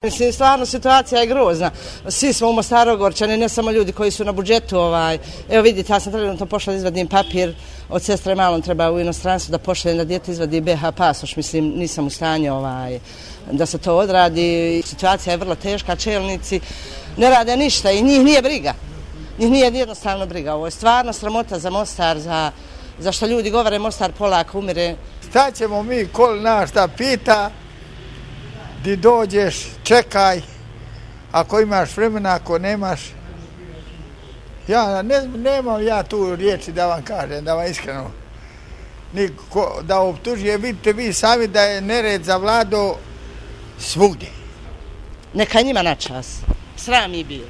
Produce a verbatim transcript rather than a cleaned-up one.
Mislim, stvarno situacija je grozna. Svi smo u Mostaru ogorčani, ne samo ljudi koji su na budžetu. Ovaj. Evo vidite, ja sam trenutno pošla da izvadim papir, od sestre malom treba u inostranstvu da pošaljem da dijete izvadi be ha pasoš. Mislim, nisam u stanju ovaj, da se to odradi. Situacija je vrlo teška, čelnici ne rade ništa i njih nije briga. Njih nije jednostavno briga. Ovo je stvarno sramota za Mostar, za, za što ljudi govore Mostar polako umire. Šta ćemo mi, ko nas šta pita, di dođeš, čekaj, ako imaš vremena, ako nemaš. Ja ne, nemam ja tu riječi da vam kažem, da vam iskreno. Niko, da optužuje, vidite vi sami da je nered zavladao svugdje. Neka njima na čas. Sram je bio.